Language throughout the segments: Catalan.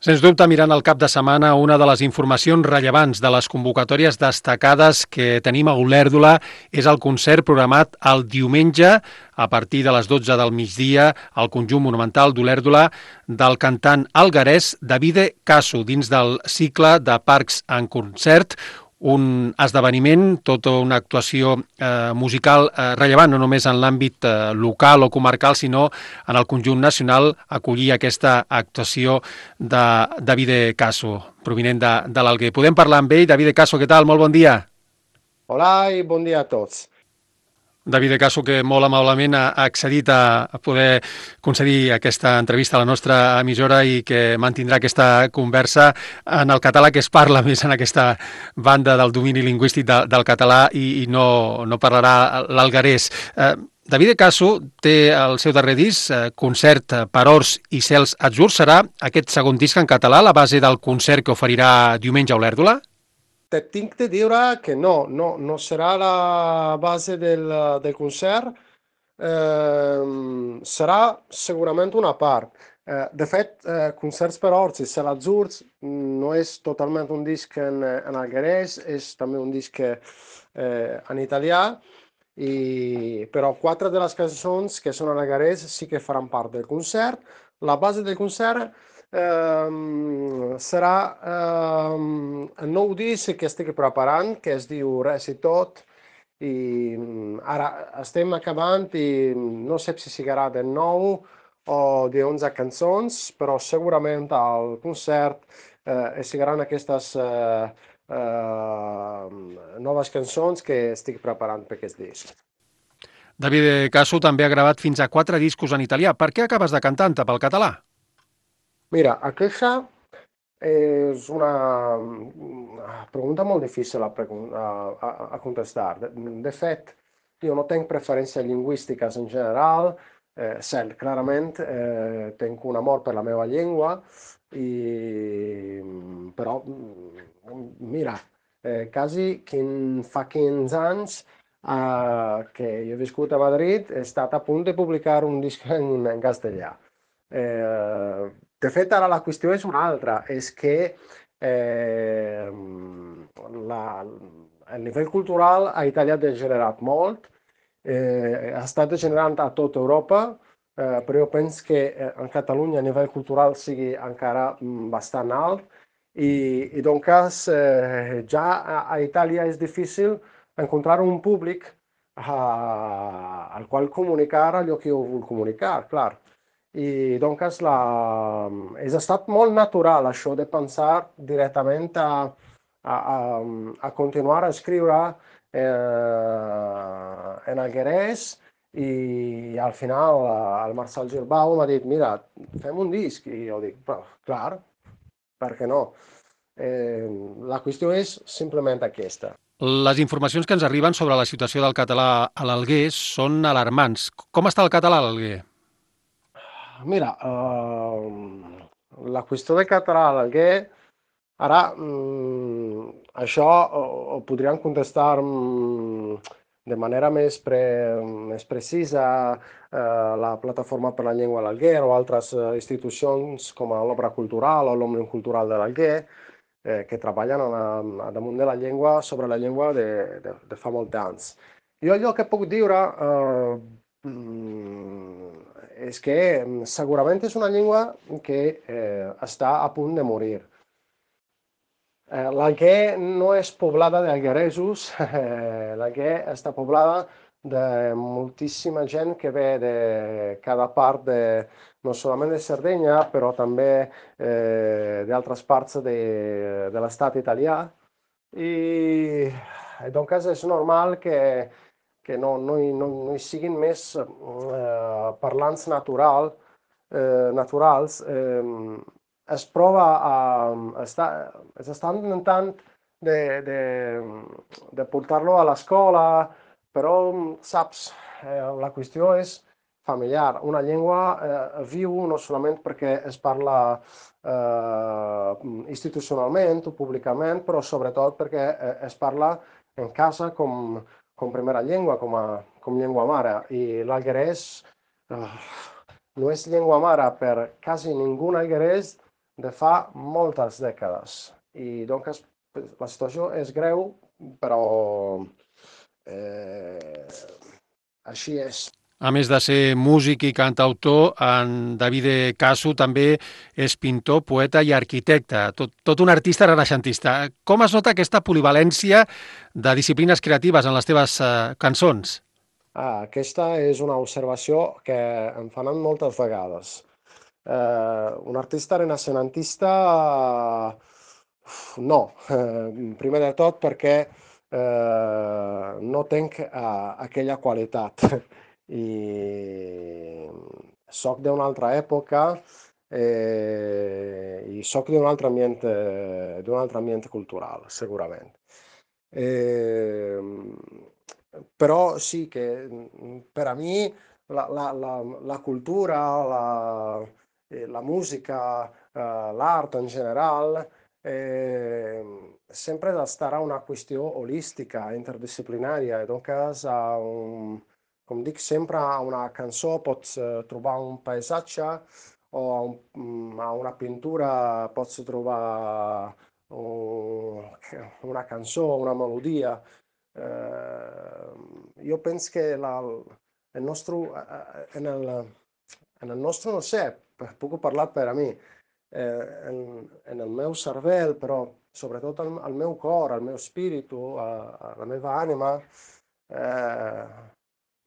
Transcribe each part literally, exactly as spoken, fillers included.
Sens dubte, mirant el cap de setmana, una de les informacions rellevants de les convocatòries destacades que tenim a Olèrdola és el concert programat el diumenge a partir de les dotze del migdia al conjunt monumental d'Olèrdola del cantant alguerès Davide Casso dins del cicle de Parcs en Concert, un esdeveniment, tota una actuació eh, musical eh, rellevant, no només en l'àmbit eh, local o comarcal, sinó en el conjunt nacional, acollir aquesta actuació de Davide Casso, provinent de, de l'Alguer. Podem parlar amb ell. Davide Casso, què tal? Molt bon dia. Hola i bon dia a tots. Davide Casso, que molt amablement ha accedit a poder concedir aquesta entrevista a la nostra emissora i que mantindrà aquesta conversa en el català que es parla més en aquesta banda del domini lingüístic de, del català i, i no, no parlarà l'alguerès. Eh, Davide Casso té el seu darrer disc, eh, Concert per Horts i Cels Atzurs. Serà aquest segon disc en català, la base del concert que oferirà diumenge a Olèrdola? Te tinc de dire que no, no, no serà la base del, del concert, ehm, serà segurament una part. Eh, de fet, eh, Concerts per Horts i Cel Atzurs no és totalment un disc en, en alguerès, és també un disc eh, en italià, i, però quatre de les cançons que són en alguerès sí que faran part del concert. La base del concert Ehm, serà ehm, el nou disc que estic preparant, que es diu Res i tot, i mm, ara estem acabant i no sé si siguerà de nou o de onze cançons, però segurament al concert eh, sigueran aquestes eh, eh, noves cançons que estic preparant per aquest disc. Davide Casso també ha gravat fins a quatre discos en italià. Per què acabes de cantar-te pel català? Mira, aquesta és una mm, pregunta molt difícil a, pregun- a, a, a contestar. De, de fet, io no tenc preferències lingüístiques en general, eh, cert, clarament eh, tenc un amor per la meva llengua, i, però, mm, mira, eh, quasi quin, fa quinze anys eh, che io ho vissuto a Madrid, è stato a punto di pubblicare un disco in, in castellà. Eh, de fet, ara la qüestió és una altra, és que eh, la, el nivell cultural a Itàlia ha degenerat molt, eh, ha estat degenerant a tota Europa, eh, però jo penso que eh, en Catalunya a nivell cultural sigui encara mm, bastant alt, i, i doncs eh, ja a, a Itàlia és difícil encontrar un públic a, al qual comunicar allò que jo vull comunicar, clar. I doncs la... és estat molt natural això de pensar directament a, a, a, a continuar a escriure eh, en alguerès, i al final el Marcel Girbau m'ha dit, mira, fem un disc, i jo dic, però, clar, per què no? Eh, la qüestió és simplement aquesta. Les informacions que ens arriben sobre la situació del català a l'Alguer són alarmants. Com està el català a l'Alguer? Mira, ehm, la qüestió de català a l'Alguer, ara mm, això ho, ho podríem contestar mm, de manera més, pre, més precisa eh, la Plataforma per la Llengua a l'Alguer o altres eh, institucions com a l'Obra Cultural o l'Òmnium Cultural de l'Alguer, eh, que treballen a, la, a damunt de la llengua, sobre la llengua de, de, de fa molt temps. Jo allò que puc dir eh, mm, és que mm, segurament és una llengua que eh, està a punt de morir. Eh, l'Alguer no és poblada d'algueresos, eh, l'Alguer està poblada de moltíssima gent que ve de cada part, de, no solament de Sardenya, però també eh, d'altres parts de, de l'estat italià. I doncs és normal que, que no, no, hi, no, no hi siguin més eh, parlants natural, eh, naturals. Eh, es prova a, està, es està intentant de, de, de portar-lo a l'escola, però, saps, eh, la qüestió és familiar. Una llengua eh, viu no solament perquè es parla eh, institucionalment o públicament, però sobretot perquè eh, es parla en casa com, com primera llengua, com, a, com llengua mare. I l'alguerès eh, no és llengua mare per quasi ningú alguerès de fa moltes dècades. I doncs la situació és greu, però eh, així és. A més de ser músic i cantautor, en Davide Casu també és pintor, poeta i arquitecte, tot, tot un artista renaixentista. Com es nota aquesta polivalència de disciplines creatives en les teves eh, cançons? Ah, aquesta és una observació que em fan moltes vegades. Eh, un artista renaixentista, no, eh, primer de tot perquè eh, no tenc eh, aquella qualitat. I soc d'una altra època eh, i soc d'un altre ambient, eh, d'un altre ambient cultural, segurament. Eh, Però sì che mm, per a mi la, la- la- la cultura, la, eh, la musica, eh, l'arte in generale, eh, sempre da stare a una qüestió holística, interdisciplinària. I doncs, a un, com dic sempre, a una cançó pots eh, trobar un paisatge o a, un- mm, a una pintura pots trobar un- una cançó, una melodia. Eh, io penso che la, il nostro, eh, nel, nel nostro, non sé, puc parlar per a mi, eh, en, en el meu cervell, però sobretot al, al meu cor, al meu spirito, a, a la meva ànima, eh,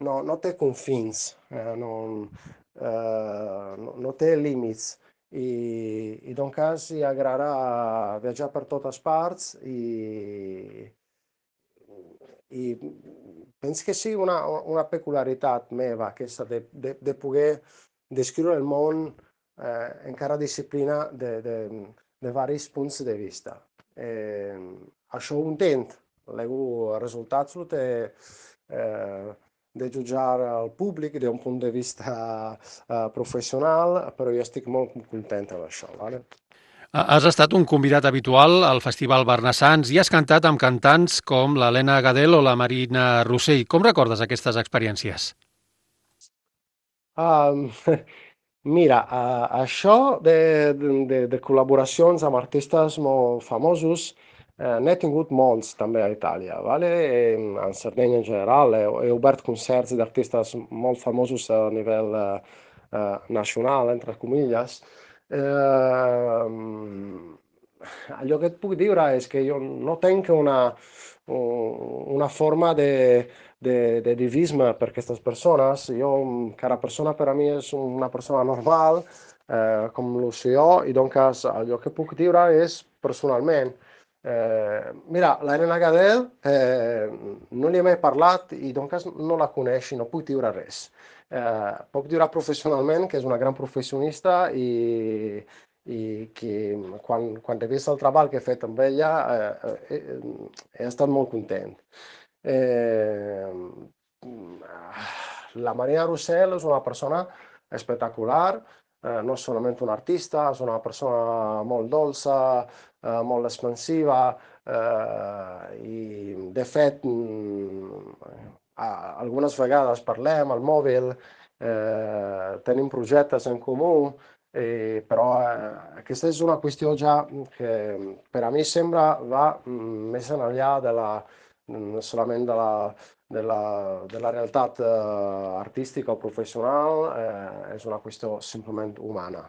no, no té confins, eh, no, eh, no, no té límits. I, i doncs cas hi agrada viatjar per totes parts i, i penso che sia una, una peculiaritat meva aquesta de, de, de poder descriure el món eh, en cada disciplina de, de, de varis punts de vista. Eh, això ho intent, lego els resultats lo té eh, de jutjar el públic d'un punt de vista eh, professional, però jo estic molt content amb això. Vale? Has estat un convidat habitual al Festival Barnassans i has cantat amb cantants com l'Helena Gadel o la Marina Rossell. Com recordes aquestes experiències? Ah, mira, eh, això de, de, de col·laboracions amb artistes molt famosos eh, n'he tingut molts també a Itàlia, vale? E, a Sardegna in generale. He, he obert concerts d'artistes molt famosos a nivell eh, eh, nacional, entre comilles. Eh, allò que et puc dir és que jo no tenc una, una forma de de, de divisme per aquestes persones. Jo, cada persona per a mi és una persona normal, eh, com lo sé jo, i doncs allò que puc dir és personalment. Eh, mira, l'Helena Gadel eh, no li he mai parlat i doncs no la coneix i no puc dir res. Eh, puc dir professionalment que és una gran professionista i, i que quan, quan he vist el treball que he fet amb ella eh, eh, he estat molt content. Eh, la Maria Rossell és una persona espectacular, eh, no és solament un artista, és una persona molt dolça, eh, molt expansiva eh, i de fet mm, a- algunes vegades parlem al mòbil, eh, tenim projectes en comú, eh, però eh, aquesta és una qüestió ja que per a mi sembra va mm, més enllà de la mm, solament de la, de la, de la realitat eh, artística o professional, eh, és una qüestió simplement humana.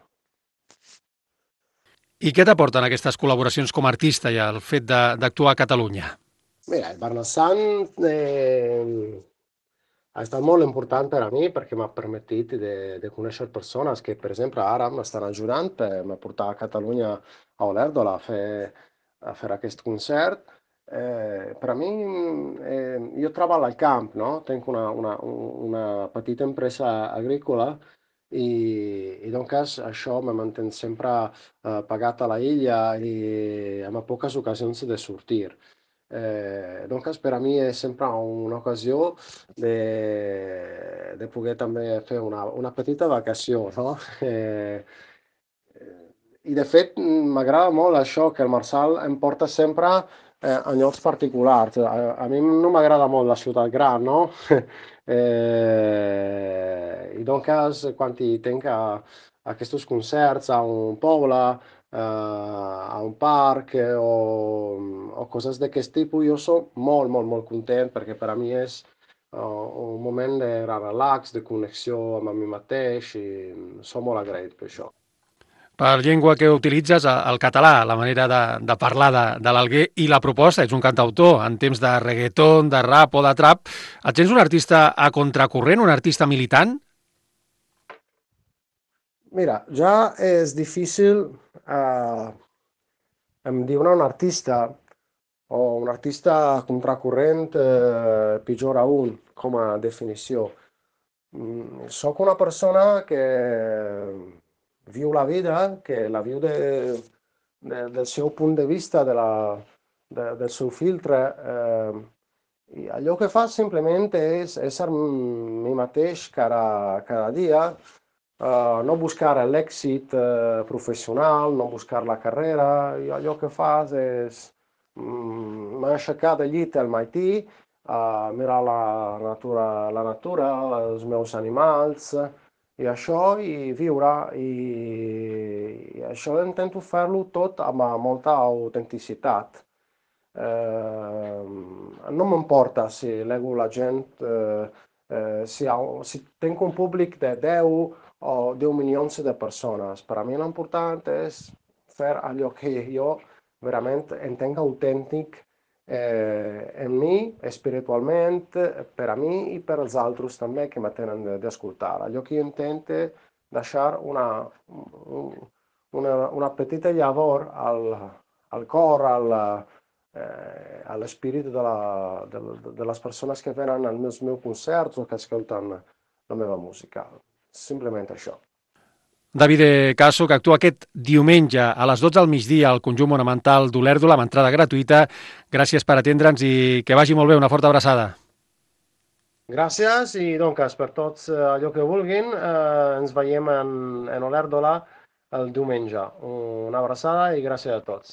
I què t'aporten aquestes col·laboracions com a artista i el fet de- d'actuar a Catalunya? Mira, il Barnassan eh, ha estat molt important per a mi perquè m'ha permetit de, de conèixer persones que, per exemple, ara m'estan ajudant per me portar a Catalunya a Olèrdola a fer, a fer aquest concert. Eh, per a mi, eh, jo treballo al camp, no? Tenc una, una, una petita empresa agrícola i, i doncs això me manté sempre eh, pagat a la illa i amb poques ocasions de sortir. Eh, doncs per a mi és sempre una ocasió de, de poder també fer una, una petita vacació, no? Eh, I de fet m'agrada molt això, que el Marçal em porta sempre eh, a llocs particulars. A, a mi no m'agrada molt la ciutat gran, no? Eh, I doncs quan hi tinc a, aquests concerts a un poble, a un parc o, o coses d'aquest tipus, jo soc molt, molt, molt content perquè per a mi és uh, un moment de relax, de connexió amb mi mateix i som molt agraït per això. Per llengua que utilitzes, el català, la manera de, de parlar de, de l'Alguer i la proposta, ets un cantautor en temps de reggaeton, de rap o de trap. Et sents un artista a contracorrent, un artista militant? Mira, ja és difícil eh, em diure un artista o un artista contracorrent, eh, pitjor aún, com a definició. Mm, Soc una persona que viu la vida, que la viu de, de, del seu punt de vista, de la, de, del seu filtre, eh, i allò que fa simplement és ésser mi mateix cada, cada dia, eh, no buscar l'èxit eh, professional, no buscar la carrera, i allò que fas és mm, m'aixecar del llit al matí, a mirar la natura, la natura, els meus animals, i això, i viure, i, i això intento fer-lo tot amb molta autenticitat. Eh, non m'importa si leggo la gent, eh, eh, si, ha, si tengo un públic de deu o deu milions de persones. Per a mi l'important és fer allò que jo verament entenc autèntic eh, en mi, espiritualment, per a mi i per als altres també que mi tenen d'escoltar. Allò que jo intento deixar una, una, una petita llavor al, al cor, al, eh, all'espírit de, la, de, de les persones que venen als meus, meus concerts o que escolten la meva música. Simplement això. David Caso, que actua aquest diumenge a les dotze del migdia al Conjunt Monumental d'Olèrdola amb entrada gratuïta. Gràcies per atendre'ns i que vagi molt bé. Una forta abraçada. Gràcies i doncs per tots eh, allò que vulguin. Eh, ens veiem en, en Olèrdola el diumenge. Una abraçada i gràcies a tots.